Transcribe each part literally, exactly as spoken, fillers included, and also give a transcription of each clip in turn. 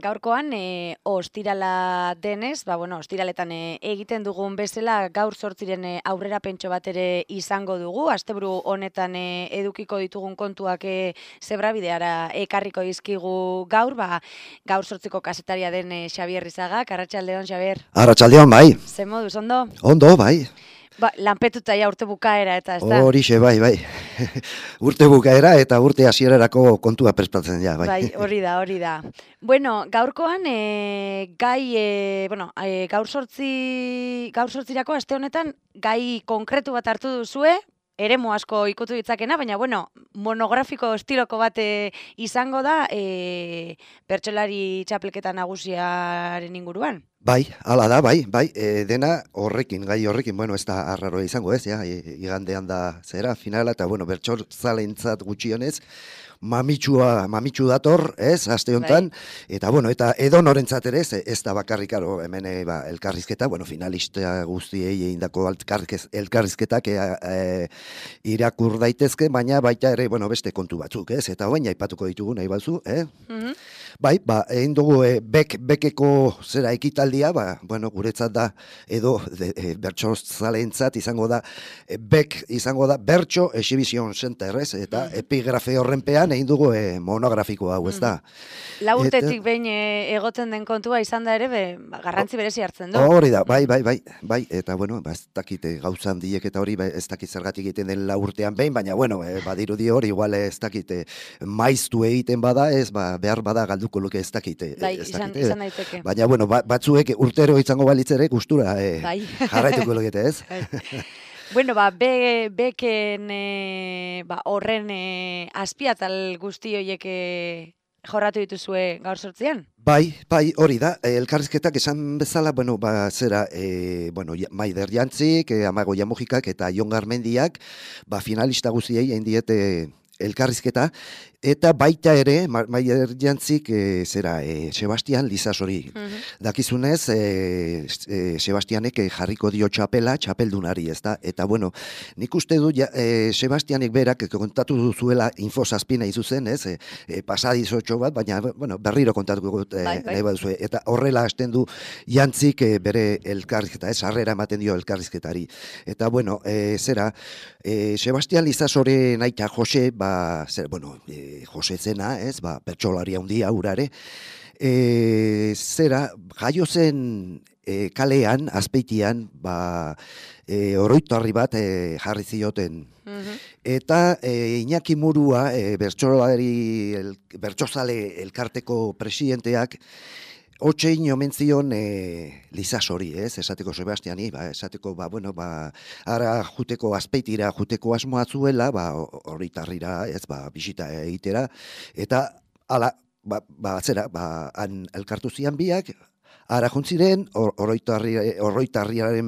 Gaurkoan, e, ostirala denez, ba, bueno, ostiraletan e, egiten dugun bezala, gaur zortziren e, aurrera pentso bat ere izango dugu. Asteburu honetan e, edukiko ditugun kontuak e, zebrabideara ekarriko dizkigu gaur, ba, gaur zortziko kasetaria den e, Xabier Rizagak. Arratsaldeon, Xabier. Arratsaldeon, bai. Ze moduz, ondo? Ondo, bai. Ba, lanpetuta ja urte bukaera eta ez da? Horixe, bai, bai. Urte bukaera eta urte hasierarako kontua prestatzen ja, bai. Bai, hori da, hori da. Bueno, gaurkoan, e, gai, e, bueno, e, gaur sortzi, gaur sortzirako aste honetan, gai konkretu bat hartu duzue, eremu asko ikutu ditzakena, baina, bueno, monografiko estiloko bat e, izango da, e, bertsolari txapelketa nagusiaren inguruan. Bai, hala da, bai, bai, e, dena horrekin, gai horrekin, bueno, ez da arraroa izango ez, ja, e, igandean da zera, finala, eta, bueno, bertsolzalentzat gutxionez, mamitsua, mamitsu dator, ez, aste honetan, eta, bueno, eta edo norentzat ere, ez, ez da bakarrikaro, hemen, e, ba, elkarrizketa, bueno, finalista guztiei egindako elkarrizketak e, e, irakur daitezke, baina baita ere, bueno, beste kontu batzuk, ez, eta hoen aipatuko ditugu nahi bazu, eh? Mm-hmm. Bai, ba, egin dugu e, bek, bekeko zera ekitaldia, ba, bueno, guretzat da, edo e, bertsozalentzat izango da, e, bek izango da, Bertso Exhibition Center, ez, eta mm. epigrafe horrenpean egin dugu e, monografiko hau, ez da. Mm. Lau urtetik behin e, egoten den kontua izan da ere, be, ba, garrantzi berezi hartzen du. Hori da, bai, bai, bai, bai, eta, bueno, ba, ez dakite gauza handiek eta hori, ba, ez dakit zergatik egiten den lau urtean behin, baina, bueno, e, badirudi hori, igual ez dakite maiztu egiten bada, ez, ba, behar bada galduko luke ez dakite. Bai, izan, izan daiteke. Baina, bueno, ba, batzuek urtero izango balitzere gustura e, bai. jarraituko lukete, ez? Bai. Bueno, ba, be, beken e, ba, horren e, azpiatal guzti horiek e, jorratu dituzue gaur sortzean? Bai, bai, hori da, elkarrizketak esan bezala, bueno, ba, zera, e, bueno, Maider Jantzik, e, Amago Jamojikak eta Jon Garmendiak, ba, finalista guztiei egin diete elkarrizketa, eta baita ere, Maider Jantzik, e, zera, e, Sebastian Lizasori. Uh-huh. Dakizunez, e, e, Sebastianek jarriko dio txapela, txapeldunari, ez da? Eta, bueno, nik uste du, ja, e, Sebastianek berak kontatu duzuela infosazpina izuzen, ez? E, e, pasadizotxo bat, baina, bueno, berriro kontatuko e, bai, bai. nahi baduzue. Eta horrela hasten du Jantzik e, bere elkarrizketa, ez? Harrera ematen dio elkarrizketari. Eta, bueno, e, zera, e, Sebastian Lizasori naita Jose, ba, zer, bueno, e, Jose zena, ez, ba, bertsolaria handia urare, e, zera, jaio zen e, kalean, azpeitian, ba, e, oroitarri bat e, jarri zioten. Uh-huh. Eta e, Iñaki Murua, e, bertsolari, el, bertsozale elkarteko presidenteak, Otxein omen zion e, Lizasori, ez, esateko Sebastiani, ba, esateko, ba, bueno, ba, ara juteko azpeitira, juteko asmoa zuela, ba, horritarrira, ez, ba, bisita egitera, eta, ala, ba, ba, zera, ba, han elkartu zian biak, ara juntziren, horroitarriaren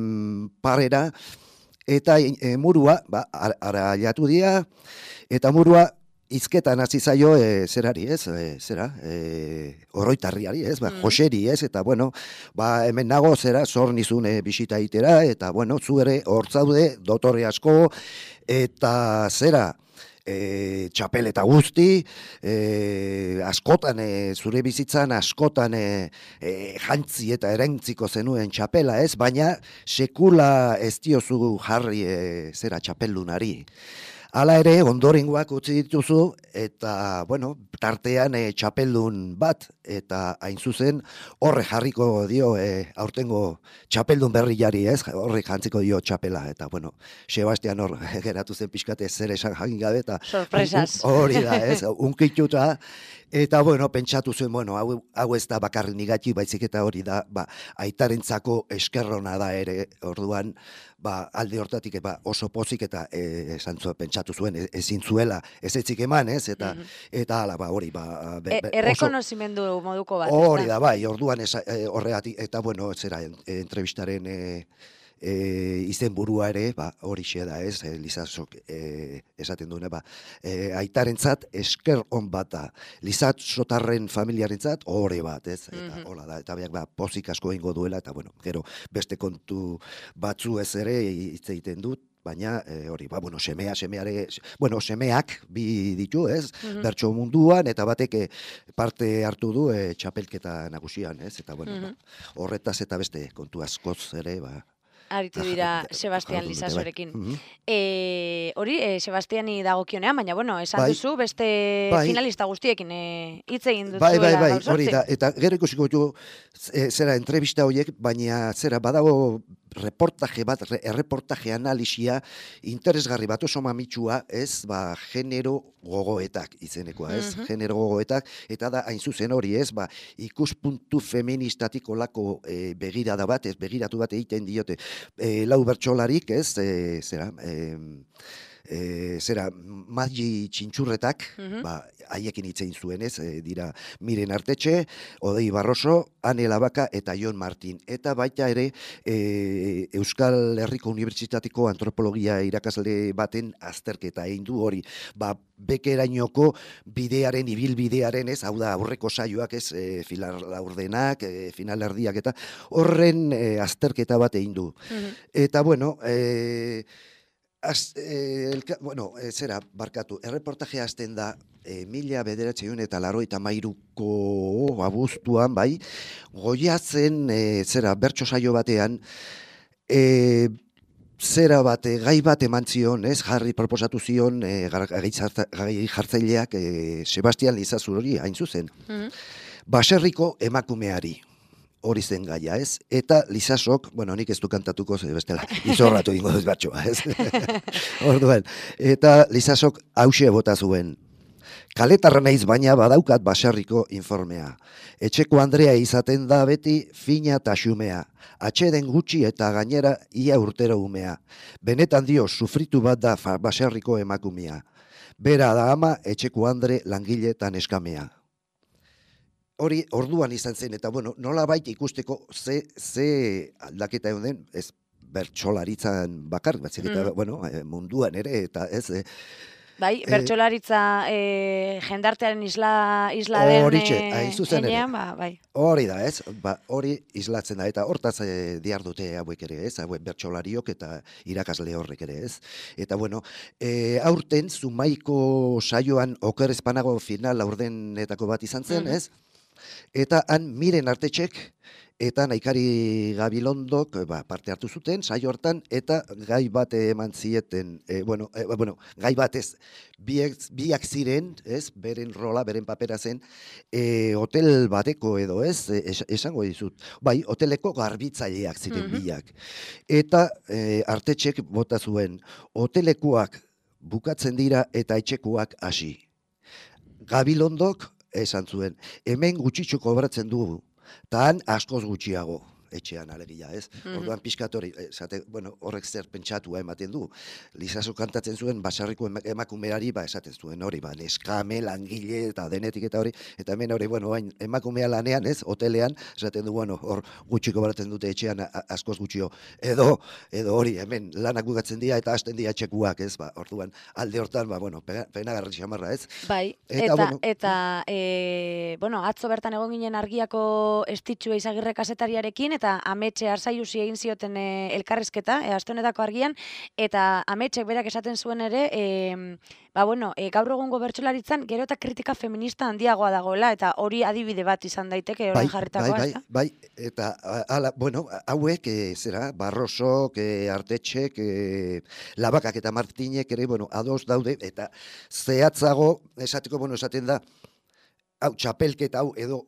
parera, eta e, Murua, ba, ara jatu dia, eta Murua, izketan hasi zaio e, zerari, ez, e, zera, e, oroitarriari, ez, ba, mm. Joseri, ez, eta, bueno, ba, hemen nago, zera, zor nizun e, bisita itera, eta, bueno, zu ere hor zaude, dotore asko, eta zera, e, txapeleta guzti, e, askotan, e, zure bizitzan, askotan e, e, jantzi eta erentziko zenuen txapela, ez, baina sekula ez diozu jarri, e, zera, txapeldunari. Hala ere, ondorengoak utzi dituzu, eta, bueno, tartean e, txapeldun bat, eta hain zuzen, horre jarriko dio, e, aurtengo txapeldun berri jari, ez? Horre jantziko dio txapela, eta, bueno, Sebastian hor geratu zen pixkate zer esan jagin gabe, eta... Sorpresas. Hori da, ez? Unkituta, eta, bueno, pentsatu zuen, bueno, hau, hau ez da bakarrik nigatxi, baizik eta hori da, ba, aitarentzako eskerrona da ere, orduan, ba, alde hortatik, ba, oso pozik eta e, esan zuen, pentsatu zuen, e, ezin zuela, ez etzik eman, ez, eta, mm-hmm. eta ala, ba, hori, ba... Be, be, e, errekonozimendu moduko bat. Hori da, bai, orduan ez, e, horregatik, eta, bueno, zera, entrevistaren... E, E, izen burua ere, ba, hori xe da, ez, e, Lizasok e, esaten duena, ba, e, aitarentzat esker on bat da, Lizasotarren familiarentzat hori bat, ez, eta mm-hmm. hola da, eta biak, ba, pozik asko ingo duela, eta, bueno, gero, beste kontu batzu ez ere hitz egiten dut, baina e, hori, ba, bueno, semea, semeare, bueno, semeak bi ditu, ez, Mhm. bertso munduan, eta batek e, parte hartu du e, txapelketa nagusian, ez, eta bueno, Mhm. ba, horretaz eta beste kontu askoz ere, ba, Aritu ah, dira ja- Sebastian jardun dute, bai. Lizasorekin. Mhm. E, hori, e, Sebastiani dagokionean, baina bueno, esan Bai, duzu beste bai, finalista guztiekin e, hitz egin bai, bai, duzuela bai, gaur hori sortzi. da, eta gero ikusiko du e, zera entrevista horiek, baina zera badago reportaje bat, re, erreportaje analisia interesgarri bat oso mamitsua, ez, ba, genero gogoetak izenekoa, ez, Mhm. genero gogoetak, eta da hain zuzen hori, ez, ba, ikuspuntu feministatik olako e, begirada bat, ez, begiratu bat egiten diote, e, lau bertsolarik, ez, e, zera, e, e, zera, Magi Txintxurretak, Mhm. ba, haiekin hitz egin zuen, ez, e, dira Miren Artetxe, Odei Barroso, Ane Labaka eta Jon Martin. Eta baita ere e, Euskal Herriko Unibertsitateko antropologia irakasle baten azterketa egin du hori. Ba, bekerainoko bidearen, ibilbidearen, ez, hau da aurreko saioak, ez, e, filar laurdenak, e, final erdiak eta horren e, azterketa bat egin du. Mhm. Eta bueno, e, Az, eh, elka, bueno, eh, zera, barkatu, erreportajea hasten da eh, mila bederatziehun eta laurogeita hamairuko abuztuan, bai, Goiatzen, eh, zera, bertso saio batean, eh, zera bat, eh, gai bat eman zion, ez, jarri proposatu zion, eh, gar- gai zarta- gai jartzaileak eh, Sebastian Lizazurori hain zuzen. Mhm. Baserriko emakumeari. Hori zen gaia, ez? Eta Lizasok, bueno, nik ez du kantatuko, ze bestela, izorratu ingo duz batxoa, ez? Orduan, eta Lizasok hause bota zuen. Kaletarra naiz baina badaukat baserriko informea. Etxeko Andrea izaten da beti fina eta xumea. Atxeden gutxi eta gainera ia urtero umea. Benetan dio, sufritu bat da fa- baserriko emakumea. Bera da ama, etxeko Andre langile eta neskamea. Hori orduan izan zen, eta bueno, nola baita ikusteko ze, ze aldaketa egon den, ez bertsolaritzan bakar, batzik eta, Mhm. bueno, eh, munduan ere, eta ez, eh, Bai, eh, bertsolaritza e, jendartearen isla, isla den Horitxe, e, hain zuzen ere. enean, ba, bai. hori da, ez, ba, hori islatzen da, eta hortaz eh, dihardute hauek ere, ez, hauek bertsolariok eta irakasle horrek ere, ez. Eta bueno, eh, aurten, Zumaiko saioan oker ezpanago final aurdenetako bat izan zen, Mhm. ez, eta han Miren Artetxek eta Naikari Gabilondok ba, parte hartu zuten saio hartan eta gai bat eman zieten, e, bueno, e, bueno, gai batez biak, biak ziren, ez, beren rola, beren papera zen, e, hotel bateko edo, ez, e, es, esango dizut, bai, hoteleko garbitzaileak ziren Mhm. biak. Eta e, Artetxek bota zuen, hotelekuak bukatzen dira eta etxekuak hasi. Gabilondok esan zuen, hemen gutxitxo kobratzen dugu, eta han askoz gutxiago etxean alegia, ez? Mhm. Orduan pixkat hori, esate, bueno, horrek zer pentsatua ematen du. Lizaso kantatzen zuen basarriko ema- emakumeari, ba, esaten zuen hori, ba, neskame, langile, eta denetik eta hori, eta hemen hori, bueno, hain, emakumea lanean, ez, hotelean, esaten du, bueno, hor gutxiko baratzen dute etxean a- a- askoz gutxio, edo, edo hori, hemen lanak bukatzen dira eta hasten dira etxekuak, ez, ba, orduan, alde hortan, ba, bueno, pena, penagarri xamarra, ez? Bai, Eta, eta, bueno, eta e, bueno, atzo bertan egon ginen Argiako Estitxue Izagirre kazetariarekin, eta Ametxe Arsaiusi egin zioten e, elkarrizketa, e, aste honetako Argian, eta Ametxek berak esaten zuen ere, e, ba, bueno, e, gaur egungo bertsolaritzan gero eta kritika feminista handiagoa dagoela, eta hori adibide bat izan daiteke, Bai, orain bai, jarritakoa, bai, ezta? bai, eta a- ala, bueno, hauek, e, zera, Barrosok, e, Artetxek, e, Labakak eta Martinek ere, bueno, ados daude, eta zehatzago, esateko, bueno, esaten da, hau, txapelketa hau, edo,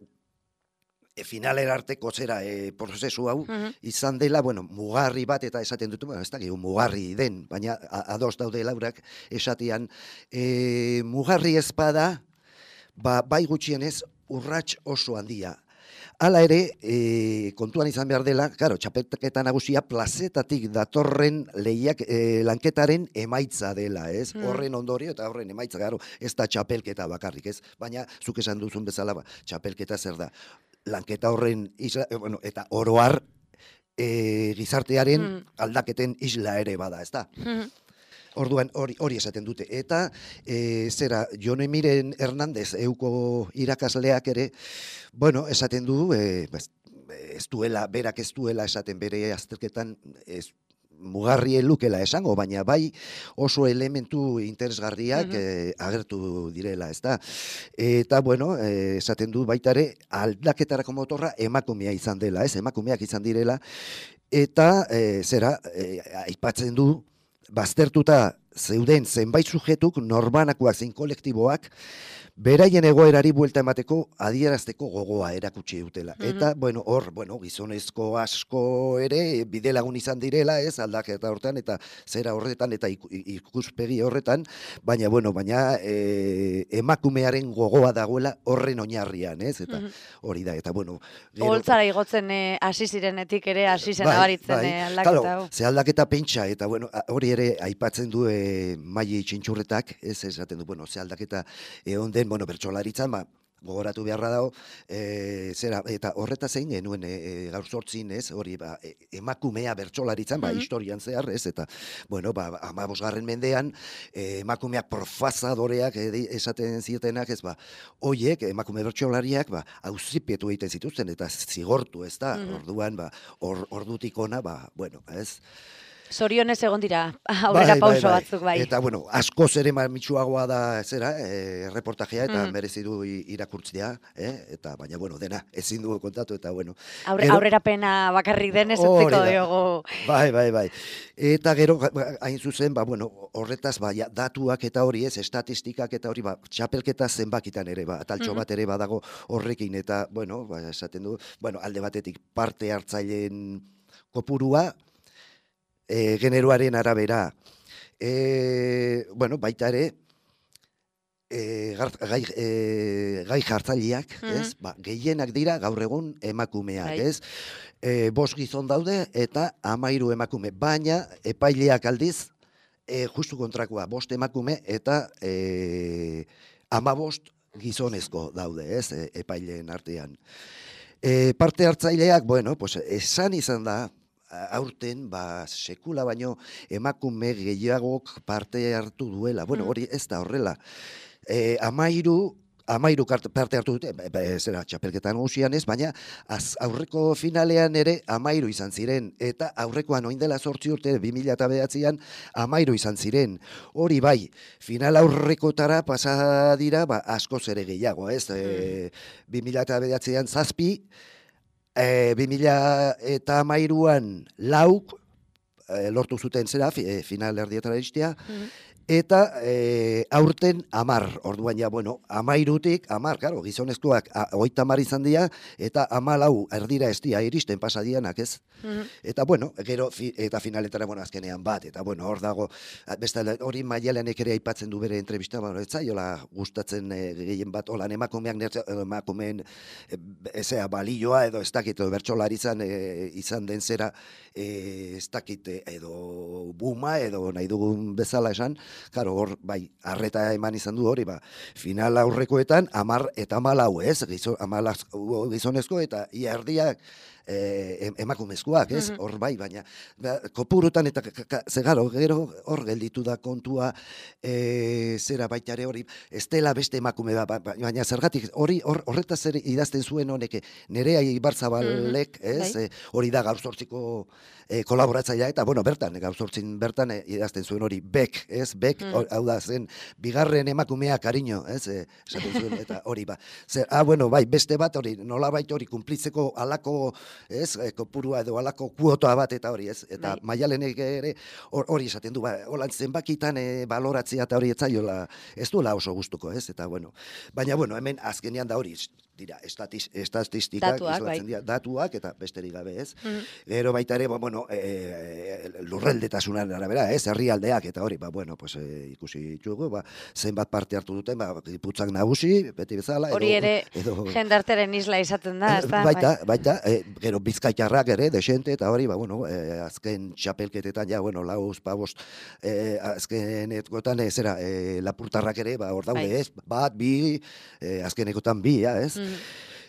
e, finalera arteko zera, e, prozesu hau, Mhm. izan dela, bueno, mugarri bat, eta esaten dut, bueno, ez da, mugarri den, baina a- ados daude laurak esatean, e, mugarri ezpada, ba, bai gutxienez, urrats oso handia. Hala ere, e, kontuan izan behar dela, claro, txapelketa nagusia plazetatik datorren lehiak e, lanketaren emaitza dela, ez? Mm. Horren ondorio eta horren emaitza, garo, ez da txapelketa bakarrik, ez? Baina, zuk esan duzun bezala, ba, txapelketa zer da? Lanketa horren isla, e, bueno, eta oroar e, gizartearen Mm. aldaketen isla ere bada, ez da? Mhm. Orduan hori hori esaten dute. Eta e, zera, Jone Miren Hernandez euko irakasleak ere, bueno, esaten du, e, ez, ez duela, berak ez duela esaten bere azterketan, ez, mugarri lukela esango, baina bai oso elementu interesgarriak Mhm. eh, agertu direla, ez da. Eta, bueno, eh, esaten du baita ere, aldaketarako motorra emakumea izan dela, ez, emakumeak izan direla, eta eh, zera, eh, aipatzen du, baztertuta zeuden zenbait sujetuk, norbanakoak zein kolektiboak, beraien egoerari buelta emateko adierazteko gogoa erakutsi dutela. Mhm. Eta, bueno, hor, bueno, gizonezko asko ere bide lagun izan direla, ez, aldaketa horretan, eta zera horretan, eta iku- ikuspegi horretan, baina, bueno, baina e, emakumearen gogoa dagoela horren oinarrian, ez, eta Mhm. hori da, eta, bueno, gero... Oholtzara igotzen eh, hasi zirenetik ere hasi zen Bai, nabaritzen bai. eh, aldaketa Claro, hau. ze aldaketa pentsa, eta bueno, a- hori ere aipatzen du e, Maili Txintxurretak, ez esaten du, bueno, ze aldaketa egon den, bueno, bertsolaritzan, ba, gogoratu beharra dago, e, zera, eta horreta zein genuen e, e, gaur zortzin, ez, hori, ba, e, emakumea bertsolaritzan, ba, Mhm. historian zehar, ez, eta, bueno, ba, amabosgarren mendean, e, emakumeak profazadoreak e, di- esaten zietenak, ez, ba, hoiek, emakume bertsolariak, ba, auzipetu egiten zituzten, eta zigortu, ez da, Mhm. orduan, ba, or, ordutik ona, ba, bueno, ez, Zorionez egon dira aurrera bai, bai, pauso bai. batzuk bai. Eta, bueno, askoz ere mitsuagoa da, zera, e, reportajea, eta Mhm. merezi du i- irakurtzea, eh? Eta, baina, bueno, dena, ezin du kontatu, eta, bueno. Aurre, Gero- aurrerapena bakarrik denez Hori utziko da. diogu. Bai, bai, bai. Eta gero, ga- ga- hain zuzen, ba, bueno, horretaz, ba, ja, datuak eta hori ez, estatistikak eta hori, ba, txapelketa zenbakitan ere, ba, taltxo Mhm. bat ere badago horrekin, eta, bueno, ba, esaten du, bueno, alde batetik parte hartzaileen kopurua, e, generoaren arabera, e, bueno, baita ere, e, gar, gai, e, gai jartzaileak, Mhm. ez? Ba, gehienak dira gaur egun emakumeak, Bai. ez? E, bost gizon daude eta hamairu emakume, baina epaileak aldiz, e, justu kontrakoa, bost emakume eta e, hamabost gizonezko daude, ez? E, epaileen artean. E, parte hartzaileak, bueno, pues, esan izan da, a- aurten, ba, sekula baino emakume gehiagok parte hartu duela. Bueno, Mhm. hori ez da horrela. E, amairu, amairu kart- parte hartu dute, be- be- zera, txapelketan nagusian ez, baina az, aurreko finalean ere amairu izan ziren, eta aurrekoan oin dela zortzi urte, bi mila eta bederatzian, amairu izan ziren. Hori bai, final aurrekotara pasa dira, ba, askoz ere gehiago, ez? E, bi mila eta bederatzian zazpi, e, bi mila eta amairuan lauk, e, lortu zuten zera, fi, e, final erdietara iristea, Mhm. eta e, aurten amar, orduan ja, bueno, amairutik, amar, karo, gizonezkoak a- hogeita hamar izan dira, eta amalau erdira ez dira iristen pasadianak, ez? Mhm. Eta, bueno, gero, fi, eta finaletara, bueno, azkenean bat, eta, bueno, hor dago, a, beste, hori Maialenek ere aipatzen du bere entrevista, bueno, ez zaiola gustatzen e, gehien bat, holan emakumeak, nertze, edo emakumeen, e, ezea, balioa, edo ez dakit, edo bertsolaritzan e, izan den zera, e, ez dakit, e, edo buma, edo nahi dugun bezala esan, karo, hor, bai, arreta eman izan du hori, ba, final aurrekoetan, amar eta amalau, ez, Gizo, amala, gizonezko, eta ia erdiak, eh, em- emakumezkoak, ez? Mhm. Hor bai, baina ba, kopurutan eta ka- ka- ze gero, gero hor gelditu da kontua eh, zera baita ere hori, ez dela beste emakume da, ba- ba- baina zergatik hori hor, horretaz ere idazten zuen honek Nerea Ibarzabalek, ez? Bai. Eh, hori da gaur zortziko eh, kolaboratzailea eta bueno, bertan gaur zortzin bertan eh, idazten zuen hori Bek, ez? Bek, Mm. hor- hau da zen bigarren emakumea kariño, ez? Eh, esaten zuen eta hori ba. Zer, ah, bueno, bai, beste bat hori, nolabait hori kunplitzeko halako, ez, eh, kopurua edo halako kuota bat eta hori, ez? Eta Bai. Maialenek ere hor- hori esaten du, ba, holan zenbakitan eh, baloratzea eta hori etzaiola, ez duela oso gustuko, ez? Eta bueno, baina bueno, hemen azkenean da hori, dira, estatis, estatistikak, Datuak, islatzen bai. dira, datuak eta besterik gabe, ez? Mhm. Gero baita ere, ba, bueno, e, lurreldetasunan arabera, ez, herrialdeak eta hori, ba, bueno, pues, e, ikusi ditugu, ba, zenbat parte hartu duten, ba, Giputzak nagusi, beti bezala, Hori edo, ere edo, jendarteren isla izaten da, ezta? baita, baita, e, gero bizkaitarrak ere, desente, eta hori, ba, bueno, e, azken txapelketetan, ja, bueno, lauz, pabost, e, azkenetkotan, e, zera, e, lapurtarrak ere, ba, hor daude, Bai. ez, bat, bi, e, azkenekotan bi, ja, ez? Mhm.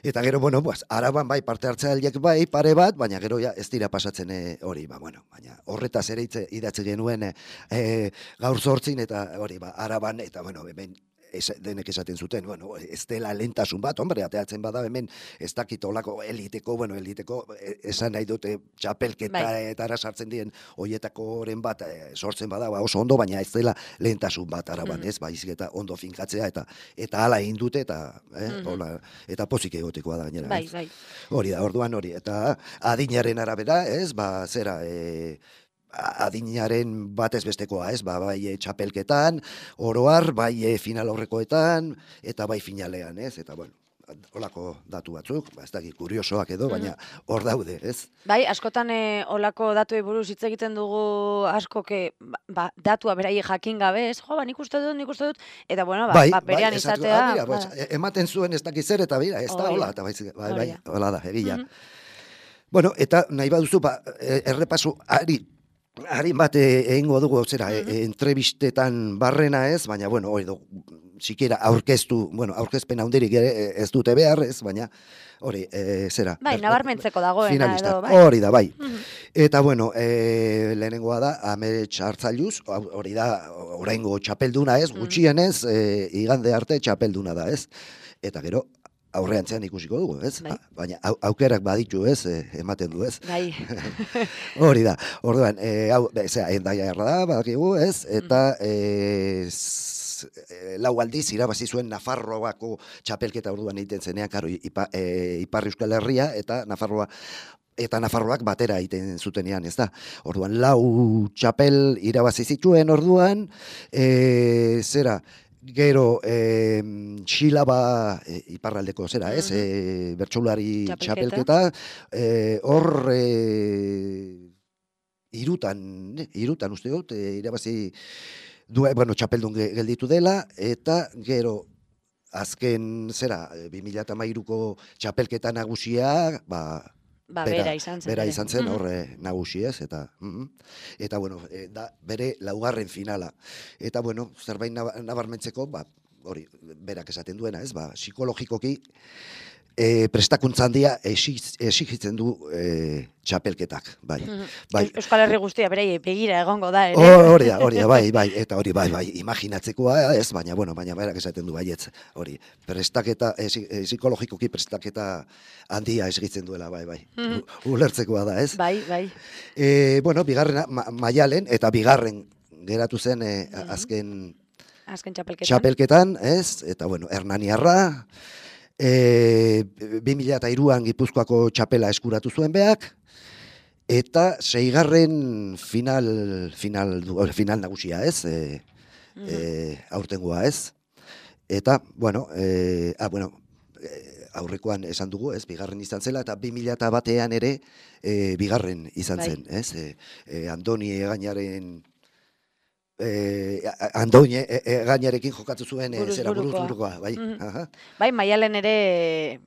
Eta gero, bueno, pues, araban bai parte hartzaileak bai pare bat, baina gero ja ez dira pasatzen eh, hori, ba, bueno, baina horretaz ere hitze idatzi genuen eh, eh, gaur zortzin eta hori, ba, araban, eta bueno, hemen ez, denek esaten zuten, bueno, ez dela lentasun bat, hombre, ateatzen bada hemen, ez dakit olako eliteko, bueno, eliteko, esan nahi dute txapelketaetara sartzen dien hoietakoren bat e, sortzen bada, ba, oso ondo, baina ez dela lentasun bat araban, mm. ez, baizik eta ondo finkatzea, eta eta hala egin dute, eta, eh, mm -hmm. hola, eta pozik egotekoa da gainera. Bai, bai. Hori da, orduan hori, eta adinaren arabera, ez, ba, zera, e, adinaren batez bestekoa, ez, ba, bai e, txapelketan, oroar, bai e, final aurrekoetan, eta bai finalean, ez, eta bueno, olako datu batzuk, ba, ez dakit, kuriosoak edo, baina hor daude, ez? Bai, askotan e, olako datuei buruz hitz egiten dugu asko, que, ba, datua berai jakin gabe, ez, jo, ba, nik uste dut, nik uste dut, eta bueno, ba, bai, ba berean bai, izatea. Ah, mira, pues, ematen zuen ez dakit zer, eta bira, ez da, hola, eta bai, bai, bai, hola da, egia. Mm -hmm. Bueno, eta nahi baduzu, ba, errepasu, ari, harin bat egingo dugu, zera, mm -hmm. e, entrebistetan barrena ez, baina, bueno, hori du, sikera aurkeztu, bueno, aurkezpen handirik ez dute behar ez, baina, hori, e, zera. Bai, nabarmentzeko dagoena edo, bai. Hori da, bai. Mm -hmm. Eta, bueno, e, lehenengoa da, Amets Hartzailuz, hori da, oraingo txapelduna ez, gutxienez, e, igande arte txapelduna da ez, eta gero, aurreantzean ikusiko dugu, ez? Bai. Baina aukerak baditu, ez? E, ematen du, ez? Bai. Hori da. Orduan, eh hau, zera, Hendaiarra da, badakigu, ez? Eta eh lau aldiz irabazi zuen Nafarroako txapelketa orduan egiten zenean, karo, ipa, e, Ipar Euskal Herria eta Nafarroa eta Nafarroak batera egiten zutenean, ez da? Orduan, lau txapel irabazi zituen orduan, e, zera, gero, eh, Xilaba e, iparraldeko zera, ez? E, bertsolari txapelketa, hor e, e, irutan, irutan uste dut, e, irabazi du, bueno, txapeldun gelditu dela, eta gero, azken, zera, bi mila hamairuko txapelketa nagusia, ba, Ba, bera, bera izan zen. Bera izan zen, horre nagusi ez, eta, mm, eta bueno, e, da, bere laugarren finala. Eta, bueno, zerbait nabarmentzeko, ba, hori, berak esaten duena, ez, ba, psikologikoki, e, prestakuntza handia exigitzen du e, txapelketak, bai. bai. Euskal Herri guztia, berei, begira egongo da, ere. Hori da, hori da, bai, bai, eta hori, bai, bai, imaginatzekoa ez, baina, bueno, baina berak esaten du, baietz, hori, prestaketa, e, psikologikoki prestaketa handia exigitzen duela, bai, bai, mm. ulertzekoa da, ez? Bai, bai. E, bueno, bigarren ma, Maialen, eta bigarren geratu zen e, mm. azken, azken txapelketan. txapelketan, ez? Eta, bueno, Hernaniarra, E, bi mila eta hiruan Gipuzkoako txapela eskuratu zuen beak, eta seigarren final, final, final nagusia, ez? E, mm -hmm. e, aurtengoa, ez? Eta, bueno, e, ah, bueno, e, aurrekoan esan dugu, ez? Bigarren izan zela, eta bi mila eta batean ere e, bigarren izan zen, bai. Ez? E, e, Andoni Egañaren Eh, Andoine e, e, gainarekin jokatu zuen e, zera buruz burukoa, bai. Mm -hmm. Bai, Maialen ere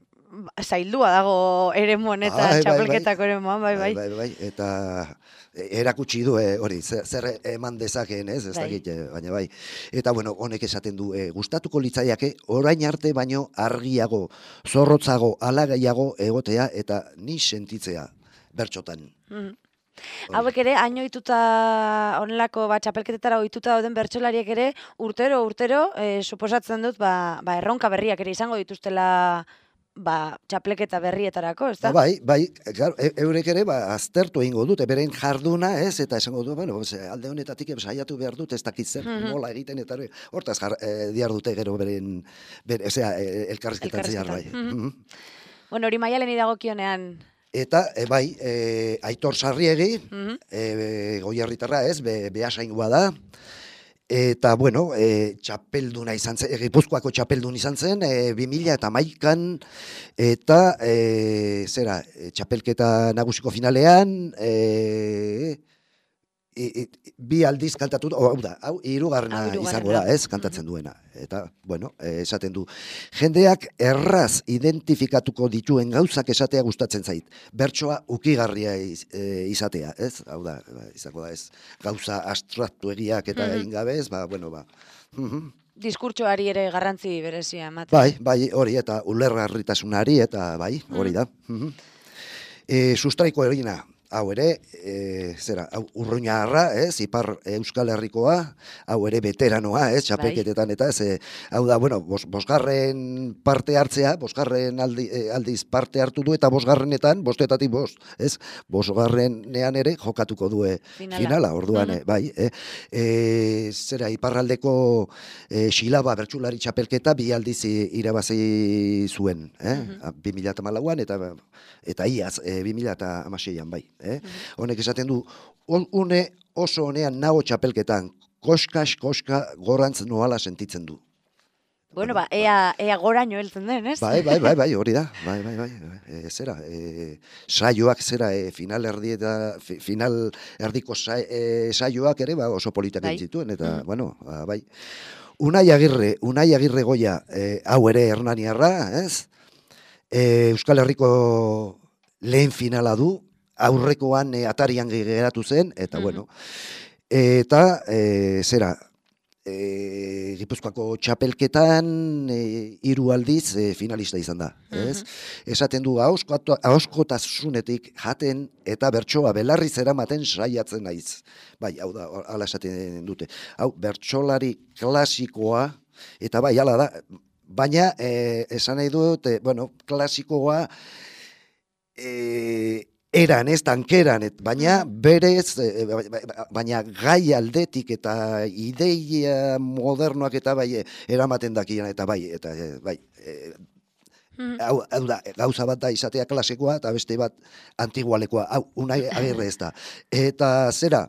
zaildua dago eremu honetan, bai, txapelketako bai, bai. eremuan, bai, bai. Bai, bai, bai. Eta erakutsi du e, hori, zer, zer eman dezakeen, ez, ez bai. dakit, baina bai. Eta bueno, honek esaten du, e, gustatuko litzaiake orain arte baino argiago, zorrotzago, alagaiago egotea eta ni sentitzea bertxotan. Mm -hmm. Hauek ere, haino ituta, onelako, ba, txapelketetara ohituta dauden bertsolariek ere, urtero, urtero, e, suposatzen dut, ba, ba, erronka berriak ere izango dituztela, ba, txapelketa berrietarako, ez da? Ba, bai, bai, claro, e, eurek ere, ba, aztertu egingo dute, beren jarduna, ez, eta esango du, bueno, alde honetatik saiatu behar dut, ez dakit zer, mm -hmm. nola egiten, eta hortaz jar, e, diar dute gero beren, ber, ezea, elkarrizketan zehar, bai. Mm -hmm. Bueno, hori Maialeni dagokionean, eta, e, bai, e, Aitor Sarriegi, mm -hmm. e, Goierritarra ez, be, behasaingoa da, eta, bueno, e, txapelduna izan zen, Gipuzkoako txapeldun izan zen, e, bi mila eta hamaikan, eta, e, zera, e, txapelketa nagusiko finalean, e, e, e, bi aldiz kantatu, hau da, hau hirugarrena izango da, ez, kantatzen duena. Eta, bueno, e, esaten du, jendeak erraz identifikatuko dituen gauzak esatea gustatzen zait. Bertsoa ukigarria iz, e, izatea, ez? Hau da, izango da, ez? Gauza abstraktuegiak eta mm -hmm. egin gabe, ez? Ba, bueno, ba. Mm -hmm. Diskurtsoari ere garrantzi berezia ematen. Bai, bai, hori, eta ulergarritasunari, eta bai, hori da. Mm -hmm. e, sustraiko erina, hau ere, e, zera, hau urruñarra, ez, ipar Euskal Herrikoa, hau ere veteranoa, ez, txapelketetan, eta ez, e, hau da, bueno, bos, bosgarren parte hartzea, bosgarren aldi, e, aldiz parte hartu du, eta bosgarrenetan, bostetatik bost, ez, bosgarrenean ere jokatuko du finala, finala orduan, mm -hmm. bai, e, e, zera, iparraldeko e, xilaba bertsulari txapelketa bi aldiz irabazi zuen, eh, mm -hmm. bi mila hamalauan, eta, eta iaz, e, bi mila hamaseian, bai. Eh? Mm -hmm. Honek esaten du, une oso honean nago txapelketan, koskas, koska, gorantz noala sentitzen du. Bueno, ba, ea, ea goraino heltzen den, ez? Bai, bai, bai, bai, hori da, bai, bai, bai, e, zera, e, saioak zera, e, final erdi eta, final erdiko sa, e, saioak ere, ba, oso politak bai. Entzituen, eta, mm -hmm. bueno, ba, bai. Unai Agirre, Unai Agirre Goia, e, hau ere hernaniarra, ez? E, Euskal Herriko lehen finala du, aurrekoan e, atarian geratu zen, eta mm -hmm. bueno, eta e, zera, e, Gipuzkoako txapelketan e, hiru aldiz e, finalista izan da, ez? Mm -hmm. Esaten du, ahoskotasunetik jaten eta bertsoa belarriz eramaten saiatzen naiz. Bai, hau da, hala esaten dute. Hau, bertsolari klasikoa, eta bai, hala da, baina, e, esan nahi dut, e, bueno, klasikoa, E, eran, ez tankeran, et, baina berez, e, baina gai aldetik eta ideia modernoak eta bai eramaten dakian, eta bai, eta bai, e, hau, hau da, gauza bat da izatea klasikoa, eta beste bat antigualekoa, hau, Unai Agirre ez da. Eta zera,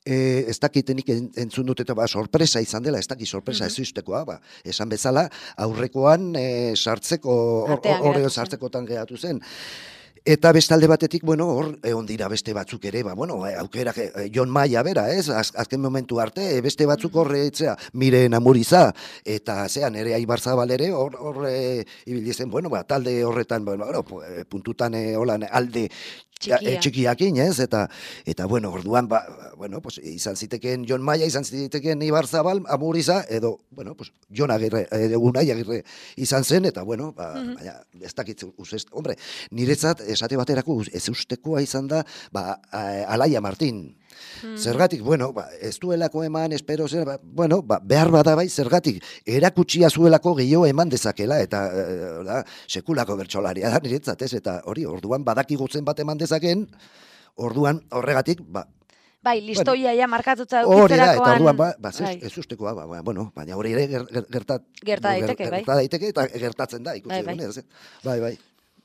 E, ez dakitenik entzun dut eta ba, sorpresa izan dela, ez dakit sorpresa mm -hmm. ez ustekoa, ba, esan bezala, aurrekoan e, sartzeko, horreo sartzekotan geratu zen. Eta bestalde batetik, bueno, hor, egon dira beste batzuk ere, ba, bueno, aukera, eh, Jon Maia bera, ez, Az, azken momentu arte, beste batzuk horre, etzea, Miren Amuriza, eta zean, ere Aibarzabal ere, hor, hor, e, ibilizen, bueno, ba, talde horretan, bueno, puntutan, e, holan, alde, Txikia. Txikiakin, ez, eta, eta, bueno, orduan, ba, bueno, pues, izan ziteken Jon Maia, izan ziteken Ibarzabal, Amuriza, edo, bueno, pues, Jon Agirre, edo Unai Agirre izan zen, eta, bueno, ba, mm -hmm. baina, ez dakit, uzest, hombre, niretzat, esate baterako, ez ustekoa izan da, ba, Alaia Martin. Hmm. Zergatik, bueno, ba, ez duelako eman, espero zer, ba, bueno, ba, behar bada bai, zergatik, erakutsia zuelako gehiago eman dezakela, eta e, da, sekulako bertsolaria da niretzat, ez, eta hori, orduan badaki gutzen bat eman dezaken, orduan horregatik, ba, bai, listoia bueno, ja markatuta dukitzerakoan. Hori da, eta orduan, ba, ba ez, ez ustekoa, ba, ba, bueno, baina hori ere gertat, gerta daiteke, ger, bai. Gerta daiteke, eta gertatzen da, ikusi bai, bai. bai, bai.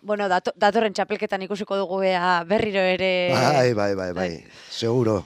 Bueno, dato, datorren txapelketan ikusiko dugu ea berriro ere... Bai, bai, bai, bai, seguro.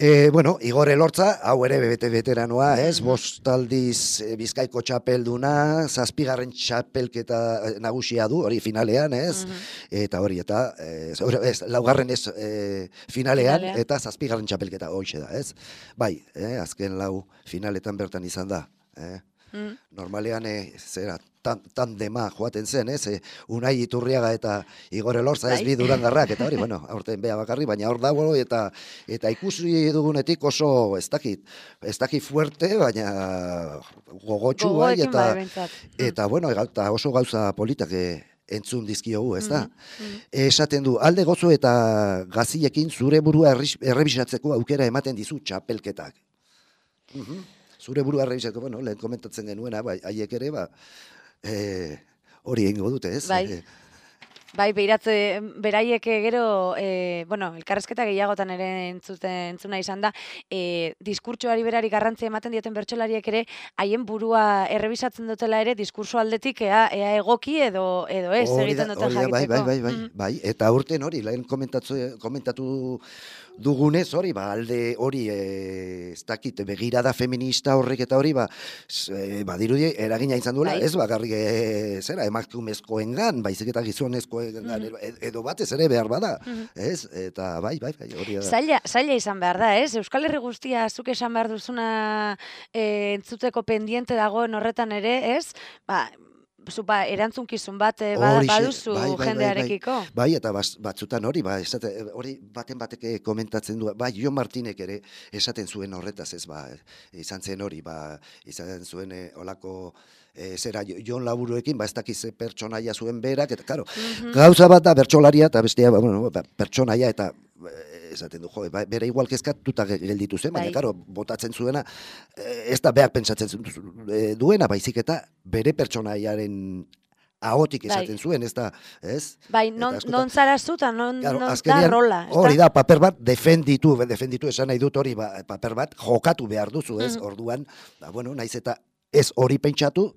E, bueno, Igor Elortza, hau ere bete veteranoa, ez, bost aldiz e, Bizkaiko txapelduna, zazpigarren txapelketa nagusia du, hori finalean, ez, mm -hmm. eta hori, eta, ez, ez laugarren ez e, finalean, finalean, eta zazpigarren txapelketa hoxe da, ez. Bai, eh, azken lau finaletan bertan izan da, eh. Mm. Normalean, e, zera, tan, tandema joaten zen, ez? E, Unai Iturriaga eta Igor Elortza ez bi Durangarrak, eta hori, bueno, aurten bea bakarri, baina hor dago, eta eta ikusi dugunetik oso, ez dakit, ez dakit fuerte, baina gogotxu bai, eta, eta, bueno, eta oso gauza politak entzun dizkiogu, ez da? Mm -hmm. Esaten du, alde gozo eta gazilekin zure burua errebisatzeko aukera ematen dizu txapelketak. Mm -hmm. Zure burua errebisatzeko, bueno, lehen komentatzen genuena, bai, haiek ere, ba, hori e, egingo dute, ez? Bai, e, bai beiratze, beraiek gero, e, bueno, elkarrezketa gehiagotan ere entzuten, entzuna izan da, e, diskurtsoari berari garrantzia ematen dioten bertsolariek ere, haien burua errebisatzen dutela ere, diskurso aldetik ea, ea egoki edo, edo ez, egiten duten jakiteko. Bai, bai, bai, bai, mm. bai, eta urten hori, lehen komentatu dugunez hori, ba, alde hori, e, ez dakit, begirada feminista horrek eta hori, ba, e, badirudi eragina izan duela, bai. Ez bakarrik, e, zera, emakumezkoengan, baizik eta gizonezkoengan, mm-hmm. edo batez ere behar bada, mm-hmm. ez? Eta bai, bai, bai, hori da. Zaila, zaila izan behar da, ez? Euskal Herri guztia, zuk esan behar duzuna e, entzuteko pendiente dagoen horretan ere, ez? Ba, zupa, erantzunkizun bat eh, ba, Horixe, baduzu bai, bai, bai, jendearekiko. Bai, bai eta bas- batzutan hori, ba, esate, hori baten batek komentatzen du, bai, Jon Martinek ere esaten zuen horretaz, ez, ba, izan zen hori, ba, izan zuen eh, olako e, zera Jon Laburuekin, ba, ez dakiz pertsonaia zuen berak, eta, karo, Mhm. gauza bat da bertsolaria, eta bestea, ba, bueno, ba, pertsonaia, eta eh, esaten du, jo, ba, bere igual kezkatuta ge- gelditu zen, baina, Bai. karo, botatzen zuena, eh, ez da beak pentsatzen zu- eh, duena, baizik eta bere pertsonaiaren ahotik Bai. esaten zuen, ez da, ez? Bai, Eta non, askotan- non zara zu, eta non, Claro, non da azkenean, rola. ezta? hori da, paper bat defenditu, defenditu esan nahi dut hori, ba, paper bat jokatu behar duzu, ez? Mhm. Orduan, ba, bueno, naiz eta ez hori pentsatu,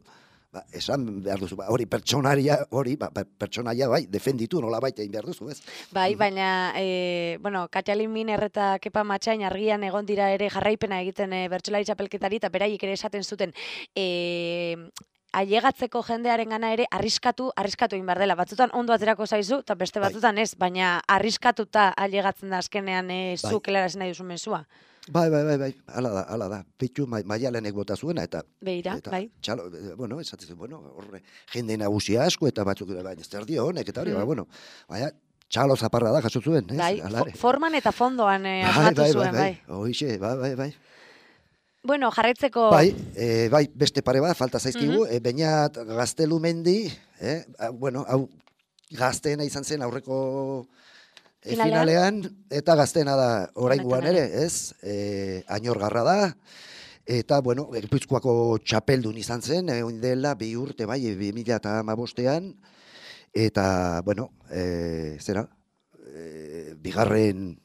ba, esan behar duzu, ba, hori pertsonaria, hori, ba, ba, pertsonaia, bai, defenditu nola baita egin behar duzu, ez? Bai, baina, e, bueno, Katalin Miner eta Kepa Matxain argian egon dira ere jarraipena egiten e, bertsolari txapelketari, eta beraiek ere esaten zuten, e, ailegatzeko jendearen gana ere arriskatu, arriskatu egin behar dela. Batzutan ondo aterako zaizu, eta beste Bai. batzutan ez, baina arriskatuta ailegatzen da azkenean e, Bai. zu kelarazen nahi duzu mezua. Bai, bai, bai, bai, hala da, hala da. Pitu ma, maialenek bota zuena, eta Beira, eta, bai. txalo, eh, bueno, esaten zuen, bueno, horre, jende nagusia asko, eta batzuk, baina ez zer dio honek, eta hori, Mm. ba, bueno, baina, txalo zaparra da, jaso zuen, ez? Bai, Hala fo- ere. forman eta fondoan e, Bai, asmatu bai, zuen, bai. bai, Hoixe, bai, bai, bai. Bueno, jarraitzeko... Bai, e, bai, beste pare bat, falta zaizkigu, e, Beñat Gaztelumendi, eh, a, bueno, hau gazteena izan zen aurreko e, Finalean? finalean, eta gazteena da oraingoan Honetan ere, ez? E, Añorgarra da, eta, bueno, Gipuzkoako txapeldun izan zen, e, oin dela, bi urte, bai, bi mila eta hamabostean, eta, bueno, e, zera, e, bigarren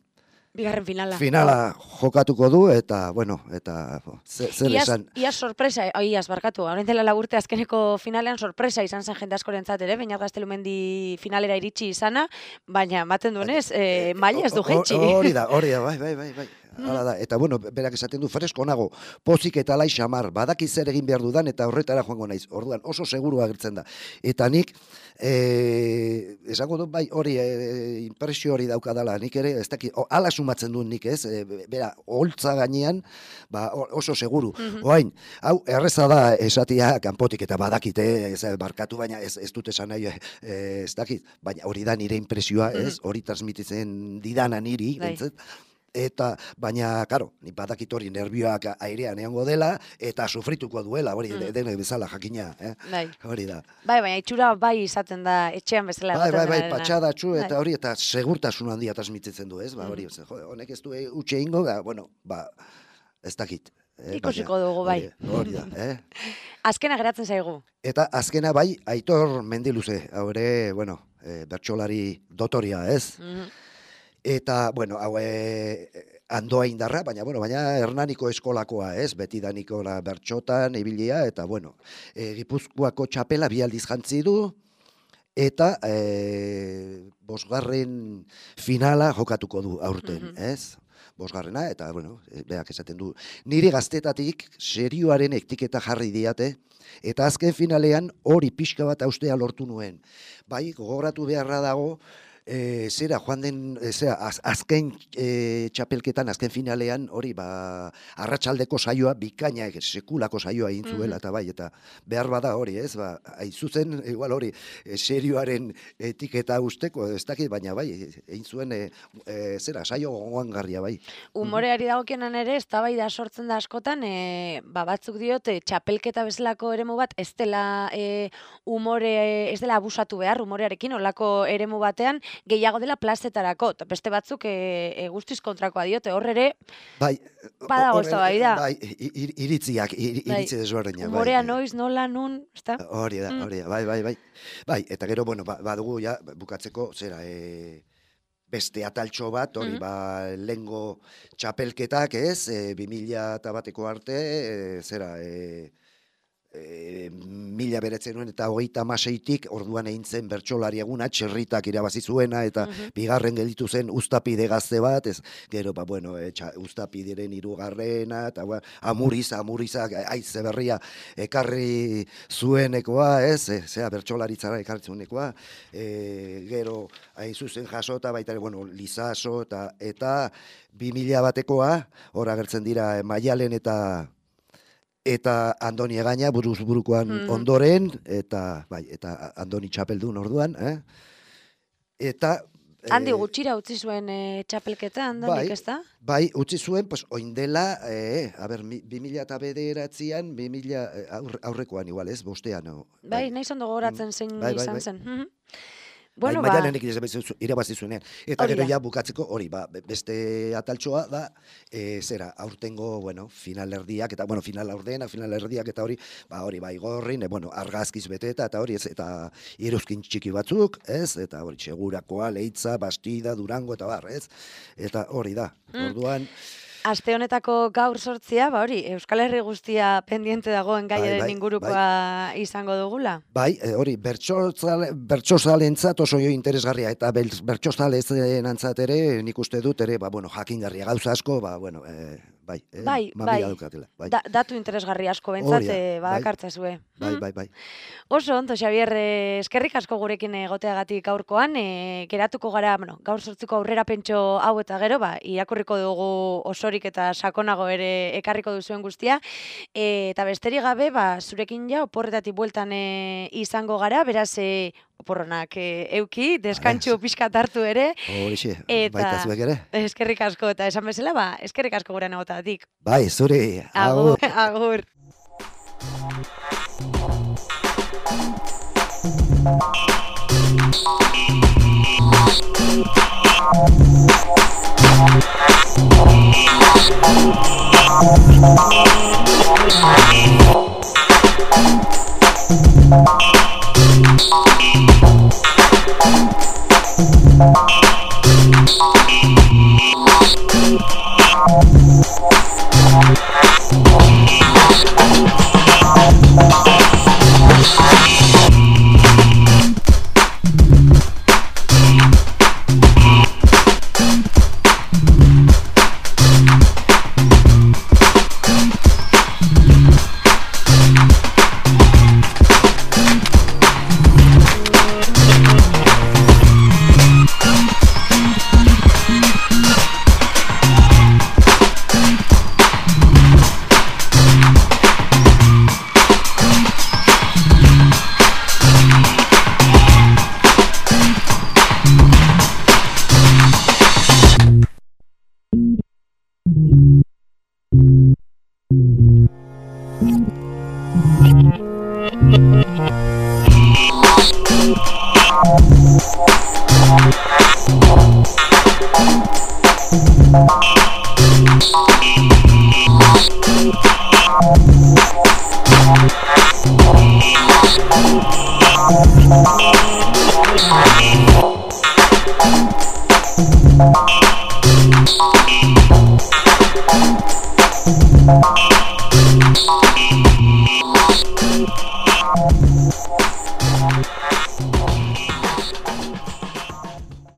Bigarren finala. finala jokatuko du, eta, bueno, eta ze- zer Iaz, esan. iaz sorpresa, oi, iaz barkatu, orain dela lau urte azkeneko finalean sorpresa izan zen jende askorentzat ere, Beñat Gaztelumendi finalera iritsi izana, baina ematen duenez, eh, maila ez du O- o- jetxi. Hori da, hori da, bai, bai, bai, bai. Hala da, eta bueno, berak esaten du fresko nago, pozik eta lai xamar, badaki zer egin behar dudan, eta horretara joango naiz. Orduan oso seguru agertzen da. Eta nik, eh, esango dut bai hori, eh, impresio hori daukadala, nik ere, ez daki, o, ala sumatzen duen nik ez, e, bera, holtza gainean, ba, o- oso seguru. Mhm. Oain, hau, erreza da esatia kanpotik eta badakite, ez, barkatu, baina ez, ez dut esan nahi, eh, ez dakit, baina hori da nire impresioa, ez, hori transmititzen didana niri, Bai. bentzet, eta, baina, karo, ni badakit hori nervioak airean egongo dela, eta sufrituko duela, hori, Mm. denek bezala jakina, eh? Bai. Hori da. Bai, baina itxura bai izaten da etxean bezala Bai, bai, egoten bai, denarena. patxadatxu, eta Bai. hori, eta segurtasun handia transmititzen du, ez? Ba, hori, ze, jode, honek ez du e, utxe egingo, ba, bueno, ba, ez dakit. Eh, Ikusiko baina dugu, bai. Hori, hori da, eh? Azkena geratzen zaigu. Eta azkena bai, Aitor Mendiluze, hau ere, bueno, e, bertsolari dotoria, ez? Mhm. Eta, bueno, hau e, andoa indarra, baina, bueno, baina Hernaniko eskolakoa, ez? Beti danikola bertxotan, ibilia, eta, bueno, e, Gipuzkoako txapela bi aldiz jantzi du, eta e, bosgarren finala jokatuko du aurten, Mhm. ez? Bosgarrena, eta, bueno, e, beak esaten du, nire gaztetatik serioaren etiketa jarri diate, eta azken finalean hori pixka bat austea lortu nuen. Bai, gogoratu beharra dago, e, zera, joan den, e, zera, az, azken e, txapelketan, azken finalean, hori, ba, arratsaldeko saioa, bikaina, e, sekulako saioa egin zuela, eta bai, eta behar bada hori, ez, ba, hain zuzen, igual hori, e, serioaren etiketa usteko, ez dakit, baina bai, egin zuen, e, e, zera, saio gogoangarria, bai. Umoreari dagokionan ere, eztabaida sortzen da askotan, e, ba, batzuk diote, txapelketa bezalako eremu bat, ez dela e, umore, ez dela abusatu behar, umorearekin, olako eremu batean, gehiago dela plazetarako, eta beste batzuk e, e, guztiz kontrakoa diote, hor ere, Bai, Badago hor- eztabaida. Bai, i- i- iritziak, iri- Bai, iritzi desberdinak. bai, umorea bai. noiz, nola, nun, ezta? Hori da, Mm. hori da, bai, bai, bai. Bai, eta gero, bueno, ba- badugu ja, bukatzeko, zera, e, beste ataltxo bat, hori, Mhm. ba, lengo txapelketak, ez, e, bi mila eta bateko arte, e, zera, e, e, mila beretzen nuen eta hogeita hamaseitik orduan egin zen bertsolari eguna, txerritak irabazi zuena, eta Mhm. bigarren gelditu zen Uztapide gazte bat, ez, gero, ba, bueno, e, txa, Uztapideren hirugarrena, eta ba, amuriza, amuriza, aize berria ekarri zuenekoa, ez, e, zera, bertsolaritzara ekarri zuenekoa, e, gero, hain zuzen jasota, baita, ere, bueno, Lizaso, eta, eta bi mila batekoa, hor agertzen dira, e, Maialen eta eta Andoni Egaña buruz burukoan Mm. ondoren, eta bai, eta Andoni txapeldun orduan, eh? Eta Handi eh, gutxira utzi zuen e, txapelketa, handanik, bai, ez da? bai, utzi zuen, pues, oindela, eh, a ber, mi- bi mila eta bederatzian, bi mila aur, aurrekoan igual, ez, bostean. No? Bai, nahi zondo gogoratzen zein Bai, bai, izan bai. zen. Mhm. Bueno, Bueno, bai, ba, maialenek irabazi zuenean. Eta Hori gero da. ja bukatzeko hori, ba, be- beste ataltxoa da, e, zera, aurtengo, bueno, finalerdiak, eta, bueno, final aurdenak, finalerdiak, eta hori, ba, hori, bai, gorrin, e, bueno, argazkiz beteta, eta hori, ez, eta iruzkin txiki batzuk, ez, eta hori, segurakoa, Leitza, Bastida, Durango, eta bar, ez, eta hori da, Mm. orduan, aste honetako gaur sortzia, ba hori, Euskal Herri guztia pendiente dagoen gaiaren bai, ingurukoa izango dugula. bai, e, hori, bertsozale- bertsozalentzat oso jo interesgarria, eta bel- bertsozalezenantzat ere, nik uste dut ere, ba, bueno, jakingarria gauza asko, ba, bueno, e, bai, e, Bai, mamia bai. daukatela, bai, Da, datu interesgarri asko bentsat, Hori da, e, bai. badakartza zue. bai, Mhm. bai, bai. Oso ondo, Xabier, eh, eskerrik asko gurekin egoteagatik gaurkoan, e, geratuko gara, bueno, gaur sortziko aurrera pentso hau eta gero, ba, irakurriko dugu osorik eta sakonago ere ekarriko duzuen guztia, e, eta besterik gabe, ba, zurekin ja, oporretatik bueltan e, izango gara, beraz, e, oporronak e, euki, deskantxu pixkat hartu ere, Horixe, Eta- baita zuek ere. eskerrik asko, eta esan bezala, ba, eskerrik asko gurean egoteagatik. Bai, zuri, Agur, agur. Thank you.